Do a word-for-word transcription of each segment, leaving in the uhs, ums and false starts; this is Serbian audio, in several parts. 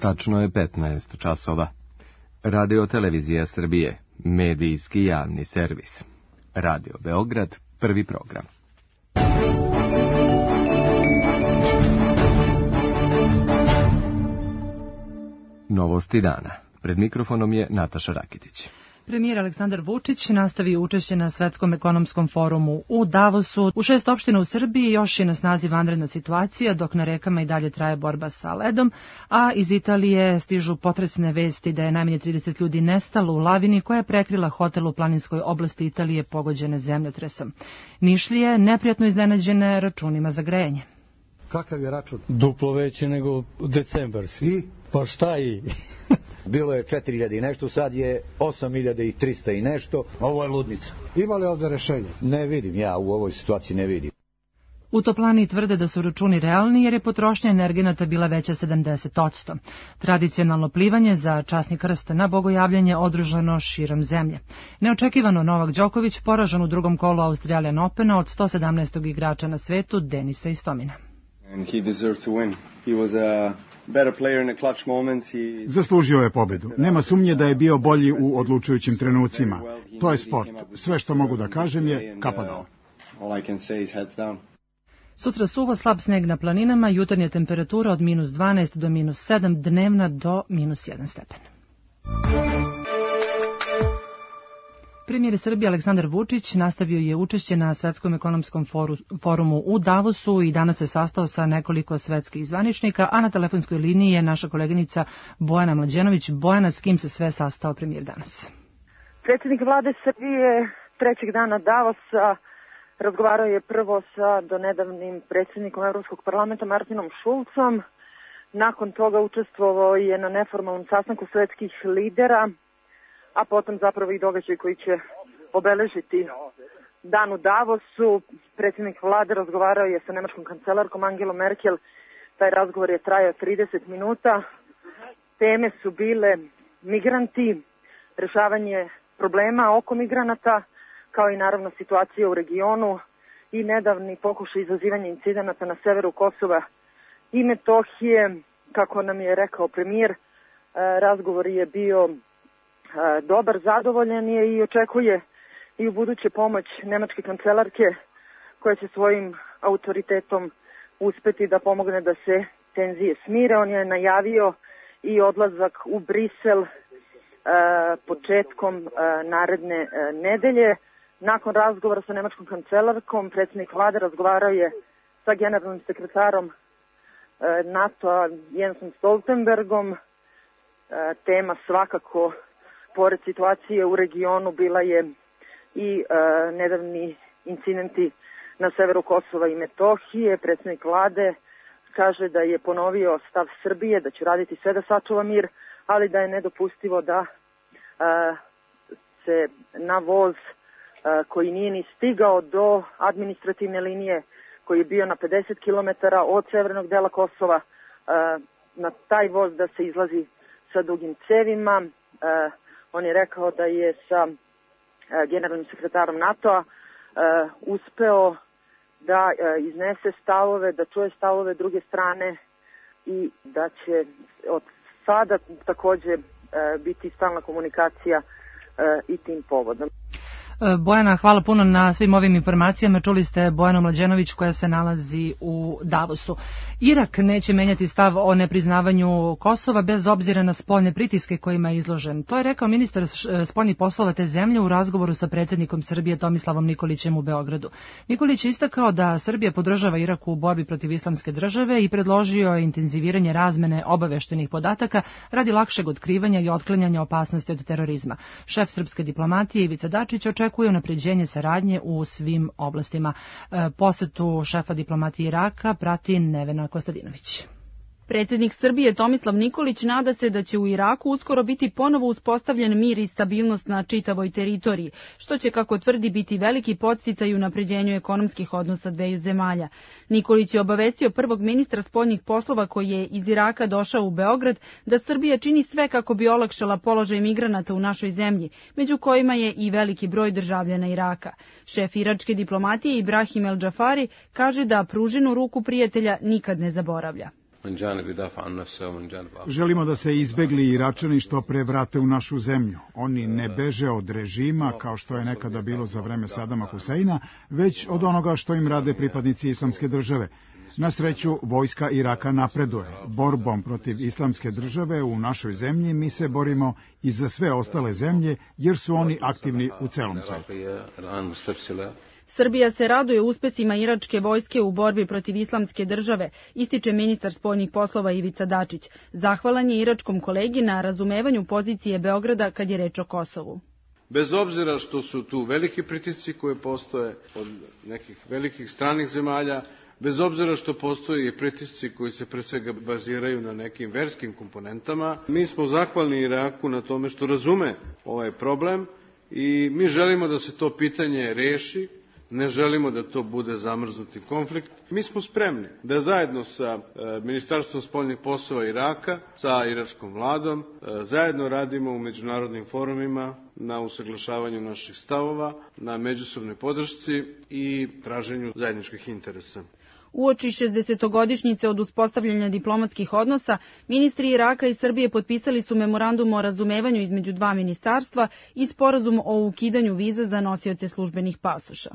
Tačno je petnaest časova. Radio Televizija Srbije, medijski javni servis. Radio Beograd, prvi program. Novosti dana. Pred mikrofonom je Nataša Rakitić. Premijer Aleksandar Vučić nastavio učešće na Svetskom ekonomskom forumu u Davosu. U šest opština u Srbiji još je na snazi vanredna situacija, dok na rekama i dalje traje borba sa ledom, a iz Italije stižu potresne vesti da je najmanje trideset ljudi nestalo u lavini koja je prekrila hotel u planinskoj oblasti Italije pogođene zemljotresom. Nišlije neprijatno iznenađene računima za grejanje. Kakav je račun? Duplo veće nego decembarski. I? Pa šta i? Bilo je četiri hiljade i nešto, sad je osam hiljada trista i nešto. Ovo je ludnica. Ima li ovde rešenja? Ne vidim, ja u ovoj situaciji ne vidim. U toplani tvrde da su računi realni jer je potrošnja energenata bila veća sedamdeset posto. Tradicionalno plivanje za časni krst na bogojavljanje održano širom zemlje. Neočekivano Novak Đoković poražen u drugom kolu Australian Opena od sto sedamnaestog igrača na svetu Denisa Istomina. And he deserved to win. He was a better player in the clutch moments. He... Zaslužio je pobedu. Nema sumnje da je bio bolji u odlučujućim trenucima. To je sport. Sve što mogu da kažem je kapa dole. All I can say is heads down. Sutra suvo, slab sneg na planinama, jutarnja temperatura od minus dvanaest do minus sedam, dnevna do minus jedan stepen. Premijer Srbije Aleksandar Vučić nastavio je učešće na Svetskom ekonomskom foru, forumu u Davosu i danas se sastao sa nekoliko svetskih zvaničnika, a na telefonskoj liniji je naša koleginica Bojana Mlađenović. Bojana, s kim se sve sastao premijer danas? Predsjednik vlade Srbije trećeg dana Davosa razgovarao je prvo sa donedavnim predsjednikom Evropskog parlamenta Martinom Šulcom. Nakon toga učestvovao je na neformalnom sastanku svetskih lidera, a potom zapravo i događaj koji će obeležiti dan u Davosu. Predsjednik vlade razgovarao je sa nemačkom kancelarkom Angelom Merkel. Taj razgovor je trajao trideset minuta. Teme su bile migranti, rešavanje problema oko migranata, kao i naravno situacija u regionu i nedavni pokušaj izazivanja incidenata na severu Kosova i Metohije. Kako nam je rekao premijer, razgovor je bio dobar, zadovoljan je i očekuje i u buduće pomoć nemačke kancelarke koja će svojim autoritetom uspeti da pomogne da se tenzije smire. On je najavio i odlazak u Brisel e, početkom e, naredne e, nedelje. Nakon razgovora sa nemačkom kancelarkom, predsjednik vlade razgovarao je sa generalnim sekretarom e, NATO-a Jensom Stoltenbergom. E, tema svakako, pored situacije u regionu, bila je i e, nedavni incidenti na severu Kosova i Metohije. Predsjednik vlade kaže da je ponovio stav Srbije, da će raditi sve da sačuva mir, ali da je nedopustivo da e, se na voz e, koji nije ni stigao do administrativne linije, koji je bio na pedeset kilometara od severnog dela Kosova, e, na taj voz da se izlazi sa dugim cevima. E, On je rekao da je sa generalnim sekretarom NATO-a uspeo da iznese stavove, da čuje stavove druge strane i da će od sada takođe biti stalna komunikacija i tim povodom. Bojana, hvala puno na svim ovim informacijama. Čuli ste Bojanu Mlađenović koja se nalazi u Davosu. Irak neće menjati stav o nepriznavanju Kosova bez obzira na spoljne pritiske kojima je izložen. To je rekao ministar spoljnih poslova te zemlje u razgovoru sa predsjednikom Srbije Tomislavom Nikolićem u Beogradu. Nikolić je istakao da Srbija podržava Irak u borbi protiv islamske države i predložio intenziviranje razmene obaveštenih podataka radi lakšeg otkrivanja i otklanjanja opasnosti od terorizma. Šef srpske diplomatije Ivica Dačić očekuje unapređenje saradnje u svim oblastima. Posetu šefa diplomatije Iraka prati Nevena Kostadinović. Predsjednik Srbije Tomislav Nikolić nada se da će u Iraku uskoro biti ponovo uspostavljen mir i stabilnost na čitavoj teritoriji, što će, kako tvrdi, biti veliki podsticaj u unapređenju ekonomskih odnosa dveju zemalja. Nikolić je obavestio prvog ministra spoljnih poslova koji je iz Iraka došao u Beograd da Srbija čini sve kako bi olakšala položaj migranata u našoj zemlji, među kojima je i veliki broj državljana Iraka. Šef iračke diplomatije Ibrahim El Džafari kaže da pruženu ruku prijatelja nikad ne zaboravlja. Želimo da se izbegli Iračani što pre vrate u našu zemlju. Oni ne beže od režima, kao što je nekada bilo za vreme Sadama Huseina, već od onoga što im rade pripadnici Islamske države. Na sreću, vojska Iraka napreduje. Borbom protiv Islamske države u našoj zemlji mi se borimo i za sve ostale zemlje, jer su oni aktivni u celom svetu. Srbija se raduje uspesima iračke vojske u borbi protiv Islamske države, ističe ministar spoljnih poslova Ivica Dačić. Zahvalan je iračkom kolegi na razumevanju pozicije Beograda kad je reč o Kosovu. Bez obzira što su tu veliki pritisci koje postoje od nekih velikih stranih zemalja, bez obzira što postoje i pritisci koji se pre svega baziraju na nekim verskim komponentama, mi smo zahvalni Iraku na tome što razume ovaj problem i mi želimo da se to pitanje reši, ne želimo da to bude zamrznuti konflikt. Mi smo spremni da zajedno sa Ministarstvom spoljnih poslova Iraka, sa iračkom vladom, zajedno radimo u međunarodnim forumima na usaglašavanju naših stavova, na međusobnoj podršci i traženju zajedničkih interesa. Uoči šezdesetogodišnjice od uspostavljanja diplomatskih odnosa, ministri Iraka i Srbije potpisali su memorandum o razumevanju između dva ministarstva i sporazum o ukidanju viza za nosioce službenih pasoša.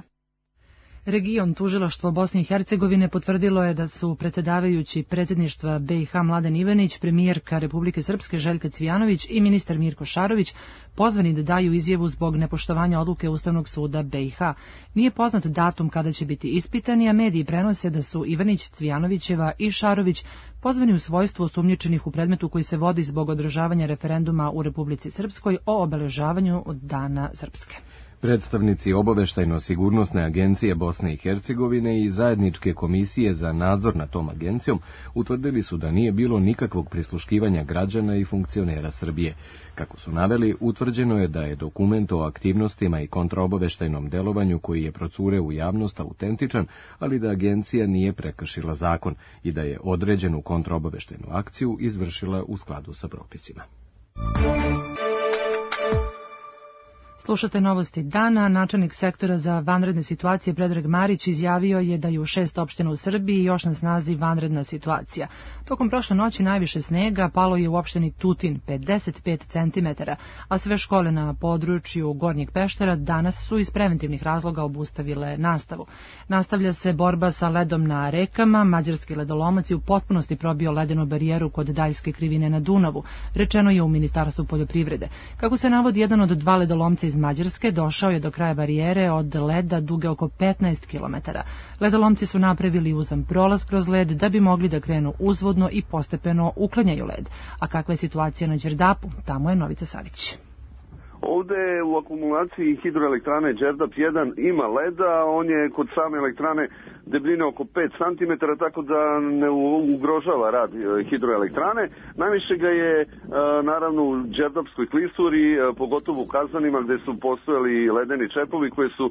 Region tužilaštvo Bosne i Hercegovine potvrdilo je da su predsjedavajući predsjedništva B i H Mladen Ivanić, premijerka Republike Srpske Željka Cvijanović i ministar Mirko Šarović pozvani da daju izjavu zbog nepoštovanja odluke Ustavnog suda B i H. Nije poznat datum kada će biti ispitani, a mediji prenose da su Ivanić, Cvijanovićeva i Šarović pozvani u svojstvu osumnjičenih u predmetu koji se vodi zbog održavanja referenduma u Republici Srpskoj o obeležavanju Dana Srpske. Predstavnici Obaveštajno-sigurnosne agencije Bosne i Hercegovine i zajedničke komisije za nadzor nad tom agencijom utvrdili su da nije bilo nikakvog prisluškivanja građana i funkcionera Srbije. Kako su naveli, utvrđeno je da je dokument o aktivnostima i kontraobaveštajnom delovanju koji je procure u javnost autentičan, ali da agencija nije prekršila zakon i da je određenu kontraobaveštajnu akciju izvršila u skladu sa propisima. Slušate novosti dana. Načelnik sektora za vanredne situacije Predrag Marić izjavio je da je u šest opština u Srbiji još na snazi vanredna situacija. Tokom prošle noći najviše snega palo je u opštini Tutin, pedeset pet centimetara, a sve škole na području Gornjeg Peštera danas su iz preventivnih razloga obustavile nastavu. Nastavlja se borba sa ledom na rekama. Mađarski ledolomac je u potpunosti probio ledenu barijeru kod Daljske krivine na Dunavu, rečeno je u Ministarstvu poljoprivrede. Kako se navodi, jedan od dva ledolomca iz Mađarske došao je do kraja barijere od leda duge oko petnaest kilometara. Ledolomci su napravili uzan prolaz kroz led da bi mogli da krenu uzvodno i postepeno uklanjaju led. A kakva je situacija na Đerdapu? Tamo je Novica Savić. Ovde u akumulaciji hidroelektrane Đerdap jedan ima leda, on je kod same elektrane debljine oko pet centimetara, tako da ne ugrožava rad hidroelektrane. Najviše ga je naravno u Đerdapskoj klisuri, pogotovo u Kazanima gde su postojali ledeni čepovi koje su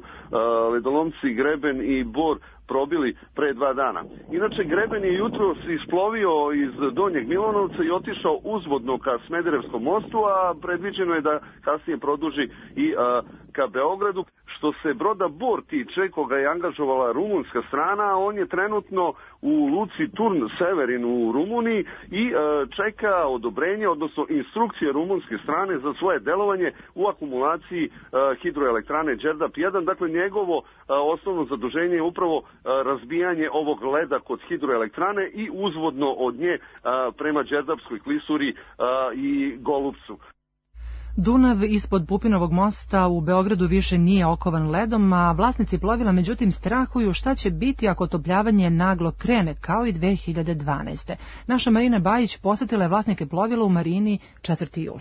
ledolomci Greben i Bor probili pre dva dana. Inače, Greben je jutros isplovio iz Donjeg Milanovca i otišao uzvodno ka Smederevskom mostu, a predviđeno je da kasnije produži i a, ka Beogradu. Što se broda Bor tiče, koga je angažovala rumunska strana, on je trenutno u luci Turn Severin u Rumuniji i a, čeka odobrenje, odnosno instrukcije rumunske strane za svoje delovanje u akumulaciji a, hidroelektrane Đerdap jedan. Dakle, njegovo a, osnovno zaduženje je upravo razbijanje ovog leda kod hidroelektrane i uzvodno od nje a, prema Đerdapskoj klisuri a, i Golupcu. Dunav ispod Pupinovog mosta u Beogradu više nije okovan ledom, a vlasnici plovila međutim strahuju šta će biti ako otopljavanje naglo krene, kao i dve hiljade dvanaeste. Naša Marina Bajić posetila je vlasnike plovila u marini četvrti jul.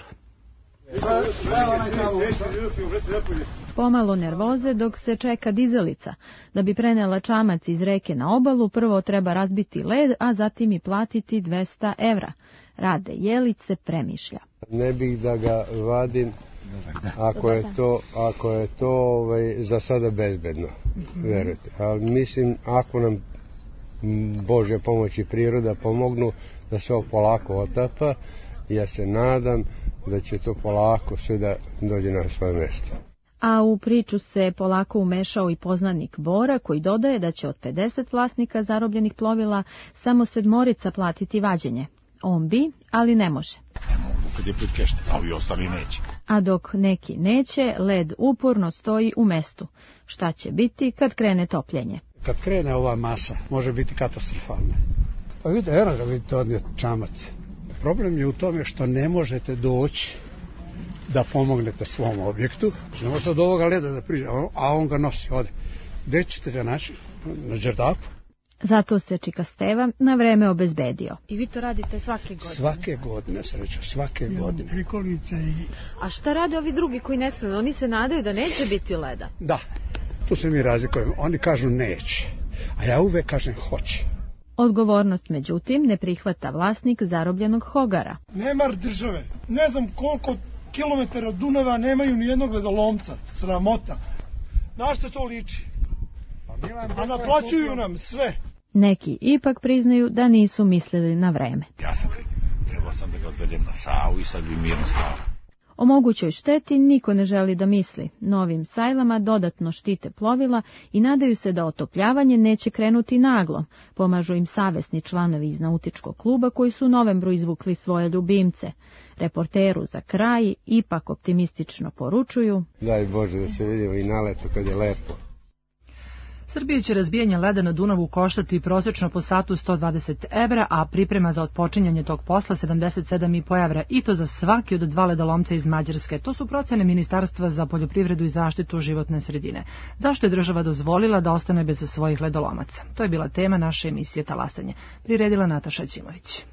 Pomalo nervoze dok se čeka dizalica. Da bi prenela čamac iz reke na obalu, prvo treba razbiti led, a zatim i platiti dvesta evra. Rade Jelić se premišlja. Ne bih da ga vadim ako je to, ako je to ovaj, za sada bezbedno, verujte. Ali mislim, ako nam Bože pomoći priroda pomognu da se ovo polako otapa, ja se nadam da će to polako sve da dođe na svoje mjesto. A u priču se polako umešao i poznanik Bora, koji dodaje da će od pedeset vlasnika zarobljenih plovila samo sedmorica platiti vađenje. On bi, ali ne može. Ne mogu kad je pritkešten, a ovi ostali neće. A dok neki neće, led uporno stoji u mestu. Šta će biti kad krene topljenje? Kad krene ova masa, može biti katastrofalna. Pa vidite, eno ga vidite odnijet čamac. Problem je u tome što ne možete doći da pomognete svom objektu. Ne možete od ovoga leda da priđe, a on ga nosi, ode. Gde ćete ga naći? Na Đerdapu. Zato se Čika Steva na vreme obezbedio. I vi to radite svake godine? Svake godine, srećo, svake godine. Prikolice i... A šta rade ovi drugi koji ne smiju? Oni se nadaju da neće biti leda. Da, tu se mi razlikujemo. Oni kažu neće, a ja uvek kažem hoće. Odgovornost, međutim, ne prihvata vlasnik zarobljenog hogara. Nemar države. Ne znam koliko kilometara od Dunava nemaju ni jednog ledolomca. Sramota. Na što to liči? A naplaćuju nam sve. Neki ipak priznaju da nisu mislili na vreme. Ja sam trebao sam da ga odvedem na Savu i sad bi mirno stao. O mogućoj šteti niko ne želi da misli. Novim sajlama dodatno štite plovila i nadaju se da otopljavanje neće krenuti naglo. Pomažu im savesni članovi iz nautičkog kluba koji su u novembru izvukli svoje ljubimce. Reporteru za kraj ipak optimistično poručuju: Daj Bože da se vidimo i na leto kad je lepo. Srbiju će razbijanje leda na Dunavu koštati prosječno po satu sto dvadeset evra, a priprema za otpočinjanje tog posla sedamdeset sedam i po evra, i to za svaki od dva ledolomca iz Mađarske. To su procene Ministarstva za poljoprivredu i zaštitu životne sredine. Zašto je država dozvolila da ostane bez svojih ledolomaca? To je bila tema naše emisije Talasanje. Priredila Nataša Ćimović.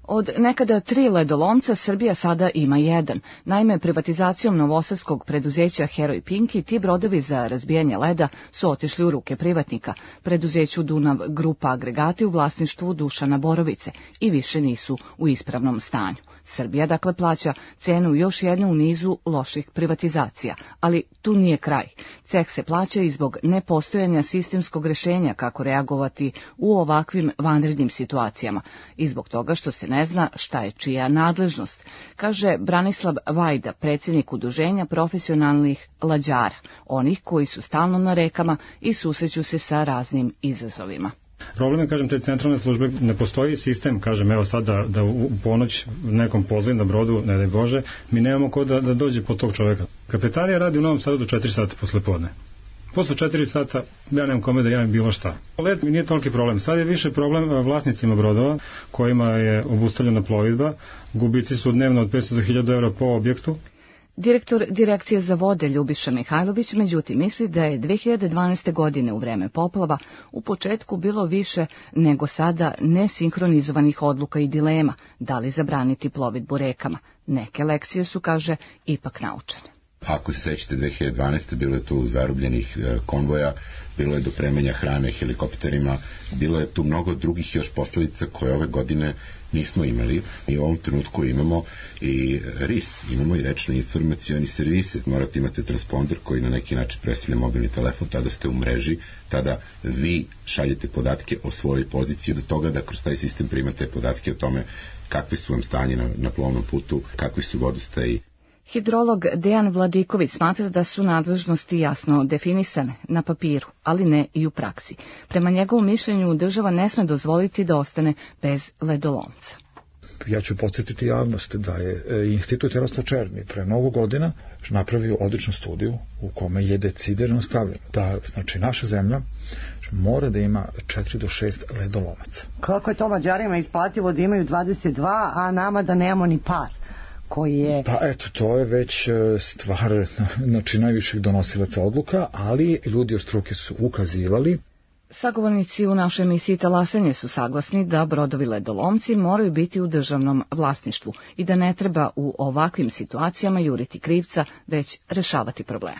Od nekada tri ledolomca Srbija sada ima jedan. Naime, privatizacijom novosadskog preduzeća Heroj Pinki ti brodovi za razbijanje leda su otišli u ruke privatnika, preduzeću Dunav Grupa Agregati u vlasništvu Dušana Borovice, i više nisu u ispravnom stanju. Srbija dakle plaća cenu još jednu u nizu loših privatizacija, ali tu nije kraj. Ceh se plaća i zbog nepostojanja sistemskog rešenja kako reagovati u ovakvim vanrednim situacijama i zbog toga što se ne zna šta je čija nadležnost, kaže Branislav Vajda, predsjednik udruženja profesionalnih lađara, onih koji su stalno na rekama i susreću se sa raznim izazovima. Problem je, kažem, te centralne službe, ne postoji sistem, kažem, evo sad da, da u ponoć nekom pozlim na brodu, ne daj Bože, mi nemamo ko da, da dođe po tog čoveka. Kapetarija radi u Novom Sadu do četiri sata posle podne. Posle četiri sata ja nemam kome da javim bilo šta. Led mi nije toliki problem. Sad je više problem vlasnicima brodova kojima je obustavljena plovidba. Gubici su dnevno od petsto do hiljadu evra po objektu. Direktor Direkcije za vode Ljubiša Mihajlović međutim misli da je dve hiljade dvanaeste. godine u vreme poplava u početku bilo više nego sada nesinhronizovanih odluka i dilema da li zabraniti plovidbu rekama. Neke lekcije su, kaže, ipak naučene. Ako se sećate, dve hiljade dvanaeste. bilo je tu zarobljenih konvoja, bilo je dopremanja hrane helikopterima, bilo je tu mnogo drugih još posljedica koje ove godine nismo imali. I u ovom trenutku imamo i R I S, imamo i rečne informacioni servise. Morate imate transponder koji na neki način predstavlja mobilni telefon, tada ste u mreži, tada vi šaljete podatke o svojoj poziciji, do toga da kroz taj sistem primate podatke o tome kakve su vam stanje na, na plovnom putu, kakvi su vodostaji. Hidrolog Dejan Vladiković smatra da su nadležnosti jasno definisane na papiru, ali ne i u praksi. Prema njegovom mišljenju država ne sme dozvoliti da ostane bez ledolomca. Ja ću podsjetiti javnost da je Institut Jaroslav Černi pre mnogo godina napravio odličnu studiju u kome je decidirano stavljeno da, znači, naša zemlja mora da ima četiri do šest ledolomaca. Kako je to Mađarima isplativo da imaju dvadeset dva, a nama da nemamo ni par? Koji je... Pa eto, to je već stvar, znači, najviših donosilaca odluka, ali ljudi od struke su ukazivali. Sagovornici u našoj emisiji Talasanje su saglasni da brodovi ledolomci moraju biti u državnom vlasništvu i da ne treba u ovakvim situacijama juriti krivca, već rešavati probleme.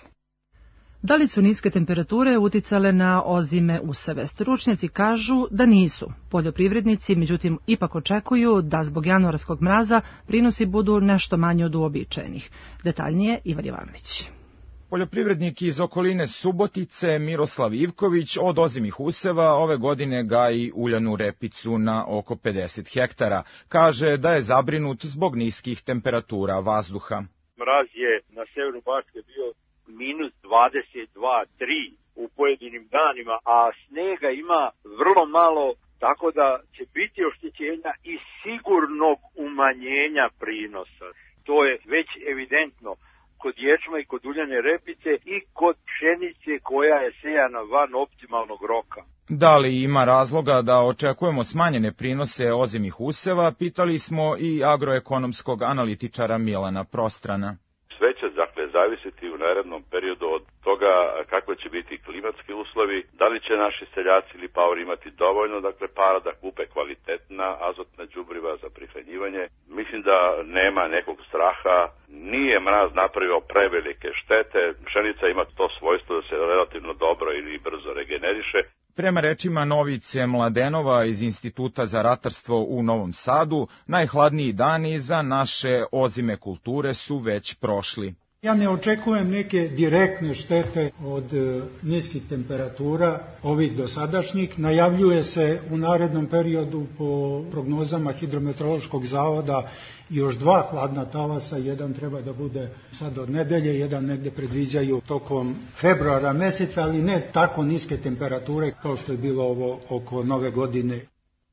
Da li su niske temperature uticale na ozime useve? Stručnjaci kažu da nisu. Poljoprivrednici, međutim, ipak očekuju da zbog januarskog mraza prinosi budu nešto manje od uobičajenih. Detaljnije Ivan Jovanović. Poljoprivrednik iz okoline Subotice, Miroslav Ivković, od ozimih useva ove godine gaji uljanu repicu na oko pedeset hektara. Kaže da je zabrinut zbog niskih temperatura vazduha. Mraz je na severu Bačke bio minus dvadeset dva tri u pojedinim danima, a snega ima vrlo malo, tako da će biti oštećenja i sigurnog umanjenja prinosa. To je već evidentno kod ječma i kod uljane repice i kod pšenice koja je sejana van optimalnog roka. Da li ima razloga da očekujemo smanjene prinose ozimih useva, pitali smo i agroekonomskog analitičara Milana Prostrana. Sve će dakle zavisiti u narednom periodu od toga kakve će biti klimatski uslovi, da li će naši seljaci ili paori imati dovoljno dakle para da kupe kvalitetna azotna đubriva za prihranjivanje. Mislim da nema nekog straha, nije mraz napravio prevelike štete, pšenica ima to svojstvo da se relativno dobro ili brzo regeneriše. Prema rečima Novice Mladenova iz Instituta za ratarstvo u Novom Sadu, najhladniji dani za naše ozime kulture su već prošli. Ja ne očekujem neke direktne štete od e, niskih temperatura, ovih dosadašnjih. Najavljuje se u narednom periodu po prognozama Hidrometeorološkog zavoda još dva hladna talasa, jedan treba da bude sad od nedelje, jedan negde predviđaju tokom februara meseca, ali ne tako niske temperature kao što je bilo ovo oko nove godine.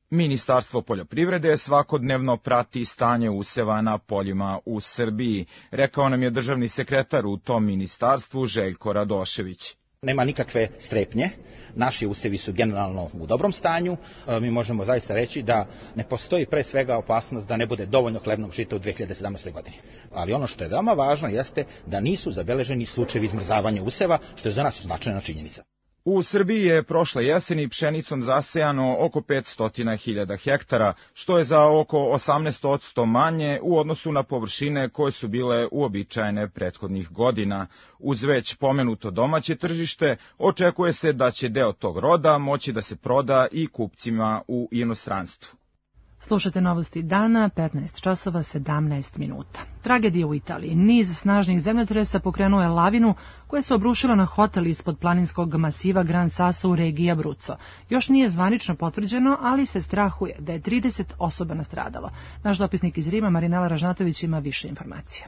Ministarstvo poljoprivrede svakodnevno prati stanje useva na poljima u Srbiji, rekao nam je državni sekretar u tom ministarstvu Željko Radošević. Nema nikakve strepnje, naši usevi su generalno u dobrom stanju, mi možemo zaista reći da ne postoji pre svega opasnost da ne bude dovoljno hlebnog žita u dve hiljade sedamnaestoj. godini. Ali ono što je veoma važno jeste da nisu zabeleženi slučajevi izmrzavanja useva, što je za nas značajna činjenica. U Srbiji je prošle jeseni pšenicom zasejano oko petsto hiljada hektara, što je za oko osamnaest posto manje u odnosu na površine koje su bile uobičajene prethodnih godina. Uz već pomenuto domaće tržište, očekuje se da će deo tog roda moći da se proda i kupcima u inostranstvu. Slušate novosti dana, petnaest časova sedamnaest minuta. Tragedija u Italiji. Niz snažnih zemljotresa pokrenuo je lavinu koja se obrušila na hotel ispod planinskog masiva Gran Sasso u regiji Abruzzo. Još nije zvanično potvrđeno, ali se strahuje da je trideset osoba nastradalo. Naš dopisnik iz Rima, Marinela Ražnatović, ima više informacija.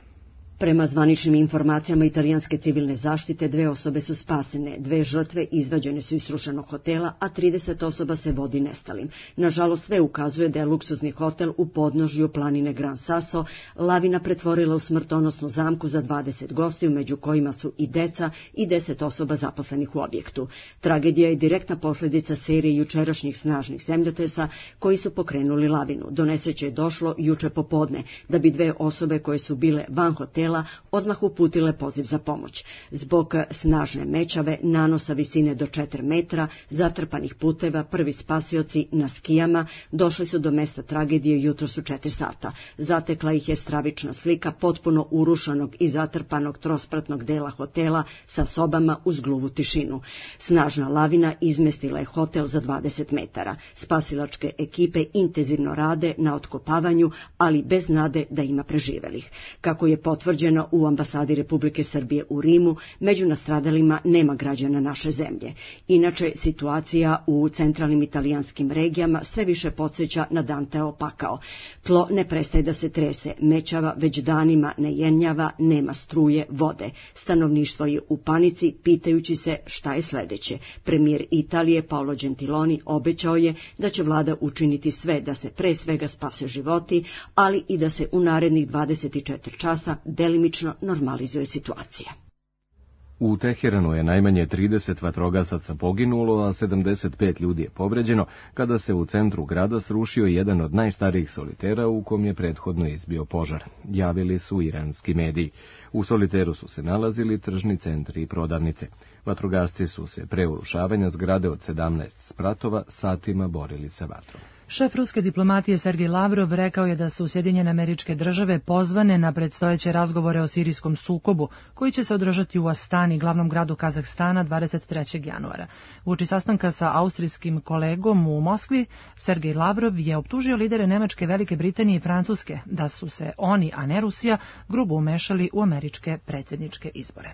Prema zvaničnim informacijama italijanske civilne zaštite, dve osobe su spasene, dve žrtve izvađene su iz srušenog hotela, a trideset osoba se vodi nestalim. Nažalost, sve ukazuje da je luksuzni hotel u podnožju planine Gran Sasso lavina pretvorila u smrtonosnu zamku za dvadeset gostiju, među kojima su i deca i deset osoba zaposlenih u objektu. Tragedija je direktna posljedica serije jučerašnjih snažnih zemljotresa koji su pokrenuli lavinu. Do nesreće je došlo juče popodne, da bi dve osobe koje su bile van hotela odmah uputile poziv za pomoć. Zbog snažne mećave, nanosa visine do četiri metra, zatrpanih puteva, prvi spasioci na skijama došli su do mesta tragedije jutros u četiri sata. Zatekla ih je stravična slika potpuno urušanog i zatrpanog trospratnog dela hotela sa sobama uz gluvu tišinu. Snažna lavina izmestila je hotel za dvadeset metara. Spasilačke ekipe intenzivno rade na otkopavanju, ali bez nade da ima preživelih. Kako je potvrđeno u ambasadi Republike Srbije u Rimu, među nastradalima nema građana naše zemlje. Inače, situacija u centralnim italijanskim regijama sve više podsjeća na Danteo pakao. Tlo ne prestaje da se trese, mećava već danima ne jenjava, nema struje, vode. Stanovništvo je u panici, pitajući se šta je sledeće. Premijer Italije Paolo Gentiloni obećao je da će vlada učiniti sve da se pre svega spase životi, ali i da se u narednih dvadeset četiri časa delimično normalizuje situacija. U Teheranu je najmanje trideset vatrogasaca poginulo, a sedamdeset pet ljudi je povređeno, kada se u centru grada srušio jedan od najstarijih solitera u kom je prethodno izbio požar, javili su iranski mediji. U soliteru su se nalazili tržni centri i prodavnice. Vatrogasci su se pre urušavanja zgrade od sedamnaest spratova satima borili sa vatrom. Šef ruske diplomatije Sergej Lavrov rekao je da su Sjedinjene Američke Države pozvane na predstojeće razgovore o sirijskom sukobu, koji će se održati u Astani, glavnom gradu Kazahstana, dvadeset trećeg januara. Uoči sastanka sa austrijskim kolegom u Moskvi, Sergej Lavrov je optužio lidere Nemačke, Velike Britanije i Francuske da su se oni, a ne Rusija, grubo umešali u američke predsjedničke izbore.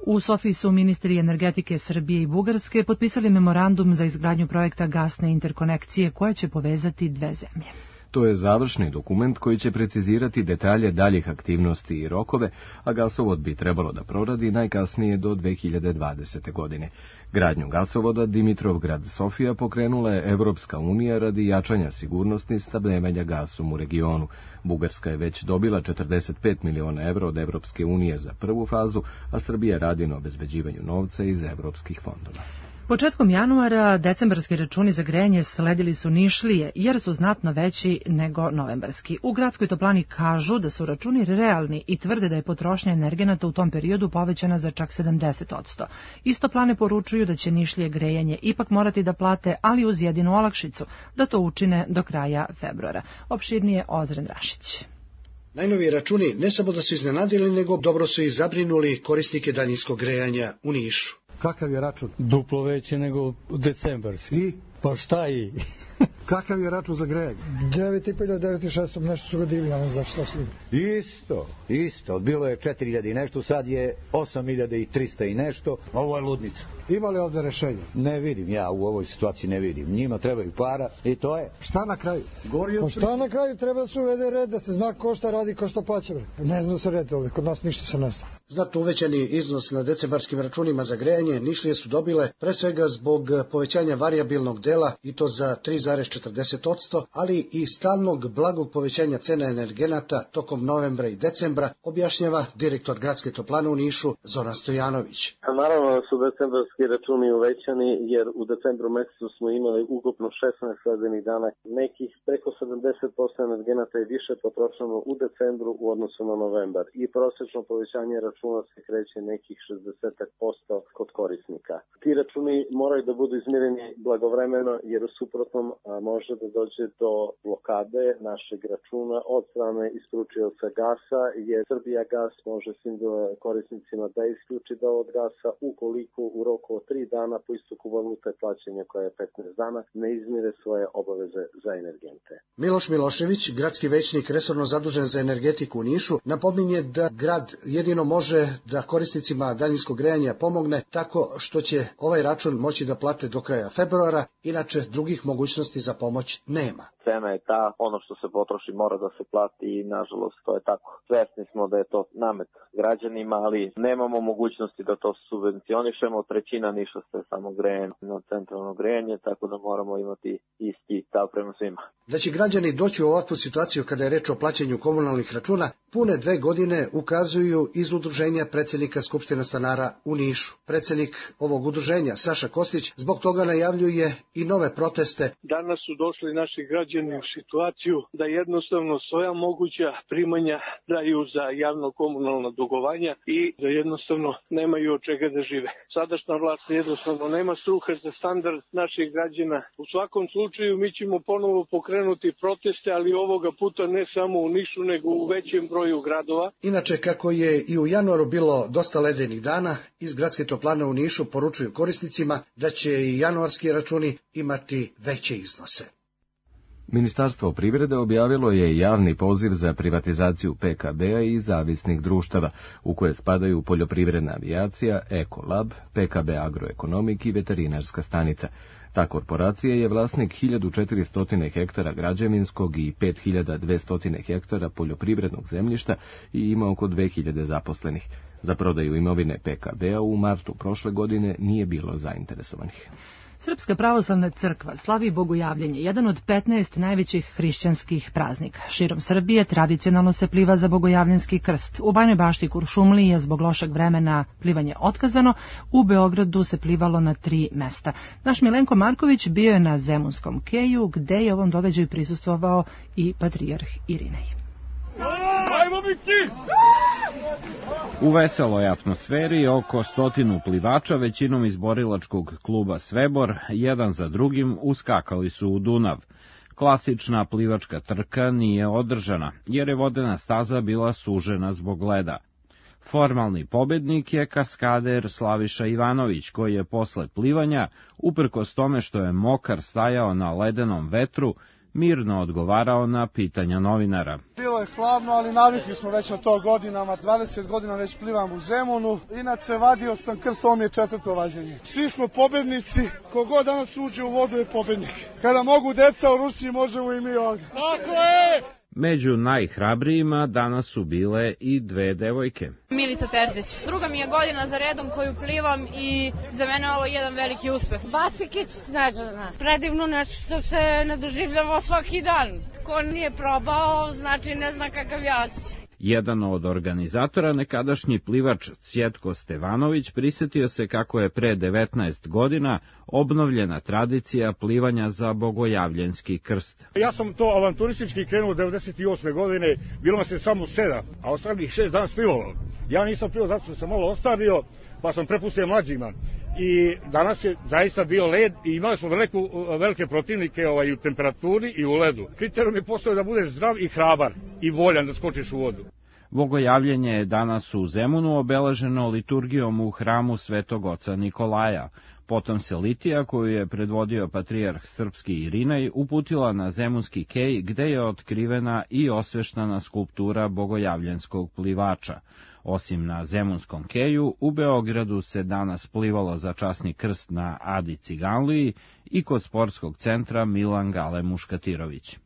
U Sofiji su ministri energetike Srbije i Bugarske potpisali memorandum za izgradnju projekta gasne interkonekcije koja će povezati dve zemlje. To je završni dokument koji će precizirati detalje daljih aktivnosti i rokove, a gasovod bi trebalo da proradi najkasnije do dve hiljade dvadesete. godine. Gradnju gasovoda Dimitrovgrad-Sofija pokrenula je Evropska unija radi jačanja sigurnosti snabdevanja gasom u regionu. Bugarska je već dobila četrdeset pet miliona evra od Evropske unije za prvu fazu, a Srbija radi na obezbeđivanju novca iz evropskih fondova. Početkom januara decembarski računi za grejanje sledili su Nišlije jer su znatno veći nego novembarski. U gradskoj toplani kažu da su računi realni i tvrde da je potrošnja energenata u tom periodu povećana za čak sedamdeset posto. Iz toplane poručuju da će Nišlije grejanje ipak morati da plate, ali uz jedinu olakšicu, da to učine do kraja februara. Opširnije Ozren Rašić. Najnoviji računi ne samo da su iznenadili, nego dobro su i zabrinuli korisnike daljinskog grejanja u Nišu. Kakav je račun? Duplo veće nego u decembarski. I? Pa šta i? Kakav je račun za grejanje? devet hiljada petsto, devet hiljada šesto, nešto su ga divili, ali ne znaš šta su. Isto, isto. Bilo je četiri hiljade i nešto, sad je osam hiljada trista i nešto. Ovo je ludnica. Ima li ovde rešenja? Ne vidim, ja u ovoj situaciji ne vidim. Njima trebaju para i to je. Šta na kraju? Gori pa šta na kraju? Treba da se uvede red, da se zna ko šta radi, ko šta plaća. Ne zna se red ovde, kod nas ništa se ne zna. Znatno uvećani iznos na decembarskim računima za grejanje Nišlije su dobile pre svega zbog povećanja varijabilnog dela i to za tri zarez četrdeset posto, ali i stalnog blagog povećanja cena energenata tokom novembra i decembra, objašnjava direktor gradske toplane u Nišu Zoran Stojanović. A naravno da su decembarski računi uvećani jer u decembru mesecu smo imali ukupno šesnaest sledenih dana. Nekih preko sedamdeset posto energenata je više potrošeno u decembru u odnosu na novembar i prosečno povećanje računa se kreće nekih šezdeset posto kod korisnika. Ti računi moraju da budu izmireni blagovremeno jer u suprotnom može da dođe do blokade našeg računa od strane isporučioca gasa, jer Srbija gas može svim korisnicima da isključi da od gasa ukoliko u roku od tri dana po istoku valute plaćanja koja je petnaest dana ne izmire svoje obaveze za energente. Miloš Milošević, gradski većnik resorno zadužen za energetiku u Nišu, napominje da grad jedino može da korisnicima daljinskog grejanja pomogne tako što će ovaj račun moći da plate do kraja februara, inače drugih mogućnosti za pomoć nema. Cena je ta, ono što se potroši mora da se plati i nažalost to je tako. Svesni smo da je to namet građanima, ali nemamo mogućnosti da to subvencionišemo. Trećina Niša ste samo grejanje na centralno grejanje, tako da moramo imati isti stav prema svima. Da će građani doći u ovakvu situaciju kada je reč o plaćanju komunalnih računa, pune dve godine ukazuju iz udruženja predsjednika Skupštine stanara u Nišu. Predsjednik ovog udruženja, Saša Kostić, zbog toga najavljuje i nove proteste. Danas su došli naši građani u situaciju da jednostavno svoja moguća primanja daju za javno-komunalna dugovanja i da jednostavno nemaju od čega da žive. Sadašnja vlast jednostavno nema sluha za standard naših građana. U svakom slučaju mi ćemo ponovo pokrenuti proteste, ali ovoga puta ne samo u Nišu, nego u većem broju gradova. Inače, kako je i u januaru bilo dosta ledenih dana, iz gradske toplane u Nišu poručuju korisnicima da će i januarski računi imati veće iznose. Ministarstvo privrede objavilo je javni poziv za privatizaciju P K B-a i zavisnih društava, u koje spadaju poljoprivredna avijacija, Ekolab, P K B Agroekonomik i veterinarska stanica. Ta korporacija je vlasnik hiljadu četiristo hektara građevinskog i pet hiljada dvesta hektara poljoprivrednog zemljišta i ima oko dve hiljade zaposlenih. Za prodaju imovine P K B-a u martu prošle godine nije bilo zainteresovanih. Srpska pravoslavna crkva slavi Bogojavljenje, jedan od petnaest najvećih hrišćanskih praznika. Širom Srbije tradicionalno se pliva za Bogojavljanski krst. U Bajnoj Bašti i Kuršumliji je zbog lošeg vremena plivanje otkazano, u Beogradu se plivalo na tri mesta. Naš Milenko Marković bio je na Zemunskom keju, gde je ovom događaju prisustvovao i patrijarh Irinej. Ajmo biti! U veseloj atmosferi oko stotinu plivača, većinom iz borilačkog kluba Svebor, jedan za drugim uskakali su u Dunav. Klasična plivačka trka nije održana, jer je vodena staza bila sužena zbog leda. Formalni pobednik je kaskader Slaviša Ivanović, koji je posle plivanja, uprkos tome što je mokar stajao na ledenom vetru, mirno odgovarao na pitanja novinara. Bio bilo je hladno, ali navikli smo već na to godinama. dvadeset godina već plivam u Zemunu. Inače, vadio sam krst, ovo mi je četvrto vađenje. Svi smo pobednici, kogod danas uđe u vodu je pobednik. Kada mogu deca u Rusiji, možemo i mi ovdje. Tako je! Među najhrabrijima danas su bile i dve devojke. Milica Terzić. Druga mi je godina za redom koju plivam i za mene ovo je jedan veliki uspeh. Basikić Snežana. Predivno nešto što se ne doživljava svaki dan. Ko nije probao, znači ne zna kakav je osjećaj. Jedan od organizatora, nekadašnji plivač Cvjetko Stevanović, prisetio se kako je pre devetnaest godina obnovljena tradicija plivanja za bogojavljenski krst. Ja sam to avanturistički krenuo devedeset osme godine, bilo nas je samo sedam, a ostalih šest dana plivalo. Ja nisam plivao zato što sam malo ostario, pa sam prepustio mlađima. I danas je zaista bio led i imali smo veliku, velike protivnike ovaj, u temperaturi i u ledu. Kriterijum je postao da budeš zdrav i hrabar i voljan da skočiš u vodu. Bogojavljenje je danas u Zemunu obeleženo liturgijom u hramu Svetog oca Nikolaja. Potom se litija, koju je predvodio patrijarh srpski Irinej, uputila na Zemunski kej, gde je otkrivena i osveštana skulptura bogojavljenskog plivača. Osim na Zemunskom keju, u Beogradu se danas plivalo za časni krst na Adi Ciganliji i kod sportskog centra Milan Gale Muškatirović.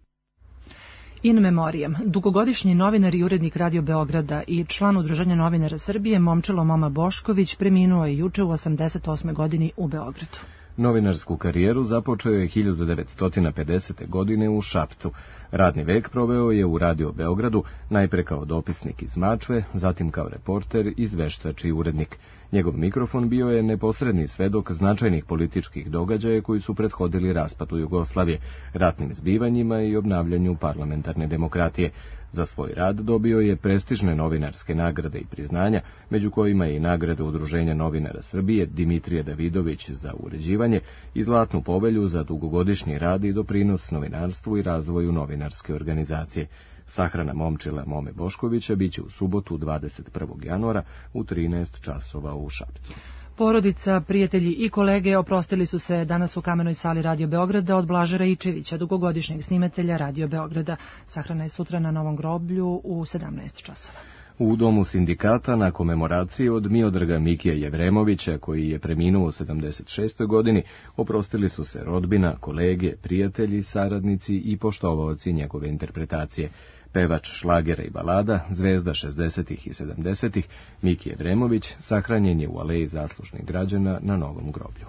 In memoriam, dugogodišnji novinar i urednik Radio Beograda i član Udruženja novinara Srbije Momčilo Moma Bošković preminuo je juče u osamdeset osmoj godini u Beogradu. Novinarsku karijeru započeo je hiljadu devetsto pedesete. godine u Šapcu. Radni vek proveo je u Radio Beogradu, najpre kao dopisnik iz Mačve, zatim kao reporter, izveštač i urednik. Njegov mikrofon bio je neposredni svedok značajnih političkih događaja koji su prethodili raspadu Jugoslavije, ratnim zbivanjima i obnavljanju parlamentarne demokratije. Za svoj rad dobio je prestižne novinarske nagrade i priznanja, među kojima je i nagrada Udruženja novinara Srbije Dimitrije Davidović za uređivanje i Zlatnu povelju za dugogodišnji rad i doprinos novinarstvu i razvoju novinarske organizacije. Sahrana Momčila Mome Boškovića biće u subotu dvadeset prvog januara u trinaest časova u Šapcu. Porodica, prijatelji i kolege oprostili su se danas u Kamenoj sali Radio Beograda od Blaža Raičevića, dugogodišnjeg snimatelja Radio Beograda. Sahrana je sutra na Novom groblju u sedamnaest časova. U domu sindikata na komemoraciji od Miodraga Mikija Jevremovića, koji je preminuo u sedamdeset šestoj godini, oprostili su se rodbina, kolege, prijatelji, saradnici i poštovaoci njegove interpretacije. Pevač šlagera i balada, zvezda šezdesetih i sedamdesetih, Miki Jevremović, sahranjen je u Aleji zaslužnih građana na Novom groblju.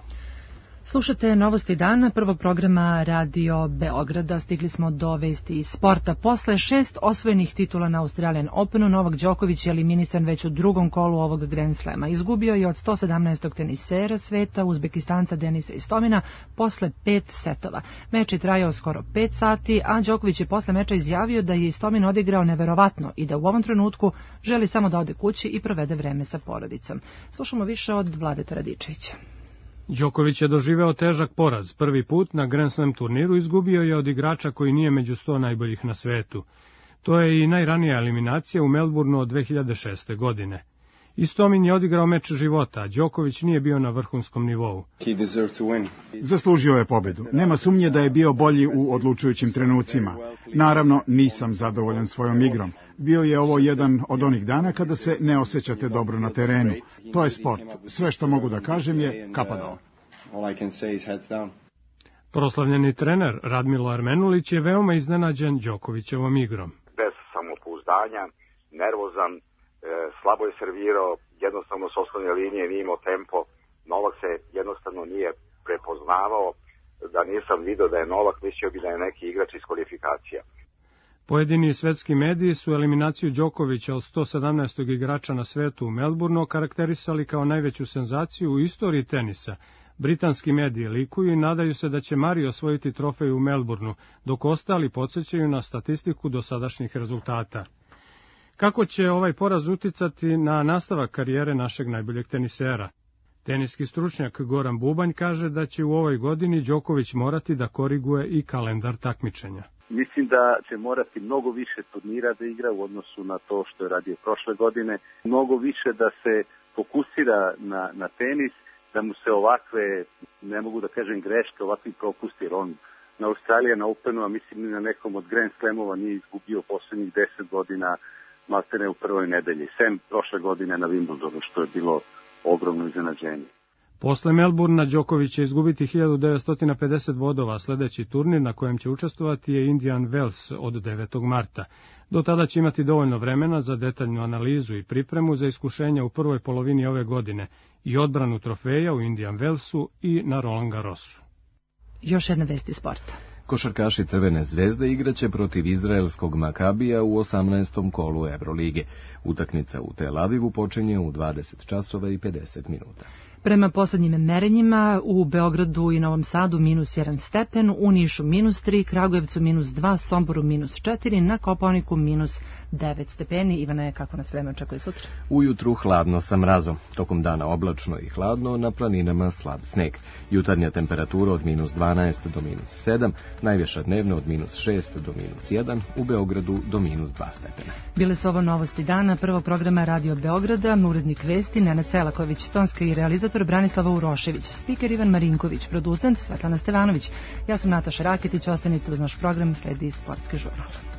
Slušate Novosti dana prvog programa Radio Beograda. Stigli smo do vesti iz sporta. Posle šest osvojenih titula na Australian Openu, Novak Đoković je eliminisan već u drugom kolu ovog Grand Slema. Izgubio je od sto sedamnaestog tenisera sveta, Uzbekistanca Denisa Istomina, posle pet setova. Meč je trajao skoro pet sati, a Đoković je posle meča izjavio da je Istomin odigrao neverovatno i da u ovom trenutku želi samo da ode kući i provede vreme sa porodicom. Slušamo više od Vladeta Radičevića. Đoković je doživeo težak poraz. Prvi put na Grand Slam turniru izgubio je od igrača koji nije među sto najboljih na svetu. To je i najranija eliminacija u Melbourneu od dve hiljade šeste. godine. Istomin je odigrao meč života, a Đoković nije bio na vrhunskom nivou. Zaslužio je pobedu. Nema sumnje da je bio bolji u odlučujućim trenucima. Naravno, nisam zadovoljan svojom igrom. Bio je ovo jedan od onih dana kada se ne osjećate dobro na terenu. To je sport. Sve što mogu da kažem je kapa dole. Proslavljeni trener Radmilo Armenulić je veoma iznenađen Đokovićevom igrom. Bez samopouzdanja, nervozan, e, slabo je servirao, jednostavno s osnovne linije nije imao tempo. Novak se jednostavno nije prepoznavao. Da nisam video da je Novak, mislio bi da je neki igrač iz kvalifikacija. Pojedini svetski mediji su eliminaciju Đokovića od sto sedamnaestog igrača na svetu u Melbourneu karakterisali kao najveću senzaciju u istoriji tenisa. Britanski mediji likuju i nadaju se da će Mari osvojiti trofej u Melbourneu, dok ostali podsjećaju na statistiku dosadašnjih rezultata. Kako će ovaj poraz uticati na nastavak karijere našeg najboljeg tenisera? Teniski stručnjak Goran Bubanj kaže da će u ovoj godini Đoković morati da koriguje i kalendar takmičenja. Mislim da će morati mnogo više turnira da igra u odnosu na to što je radio prošle godine. Mnogo više da se fokusira na, na tenis, da mu se ovakve, ne mogu da kažem greške, ovakvi propusti, jer on na Australijan Openu, a mislim i na nekom od Grand Slamova nije izgubio poslednjih deset godina, maltene u prvoj nedelji, sem prošle godine na Wimbledonu, što je bilo ogromno iznenađenje. Posle Melburna Đoković će izgubiti hiljadu devetsto pedeset bodova, sledeći turnir na kojem će učestvovati je Indian Wells od devetog marta. Do tada će imati dovoljno vremena za detaljnu analizu i pripremu za iskušenja u prvoj polovini ove godine i odbranu trofeja u Indian Wellsu i na Roland Garrosu. Još jedna vest iz sporta. Košarkaši Crvene zvezde igraće protiv izraelskog Makabija u osamnaestom kolu Evrolige. Utakmica u Tel Avivu počinje u dvadeset časova i pedeset minuta. Prema poslednjim merenjima u Beogradu i Novom Sadu minus jedan stepen, u Nišu minus tri, Kragujevcu minus dva, Somboru minus četiri, na Kopaoniku minus devet stepeni. Ivane, kako nas vreme očekuje sutra? Ujutru hladno sa mrazom, tokom dana oblačno i hladno, na planinama slab sneg. Jutarnja temperatura od minus dvanaest do minus sedam, najviša dnevna od minus šest do minus jedan, u Beogradu do minus dva stepena. Bile su ovo novosti dana prvog programa Radio Beograda, urednik vesti Nenad Selaković, tonska i realizator Branislava Urošević, spiker Ivan Marinković, producent Svetlana Stevanović. Ja sam Nataša Raketić, ostanite uz naš program, sledi Sportski žurnal.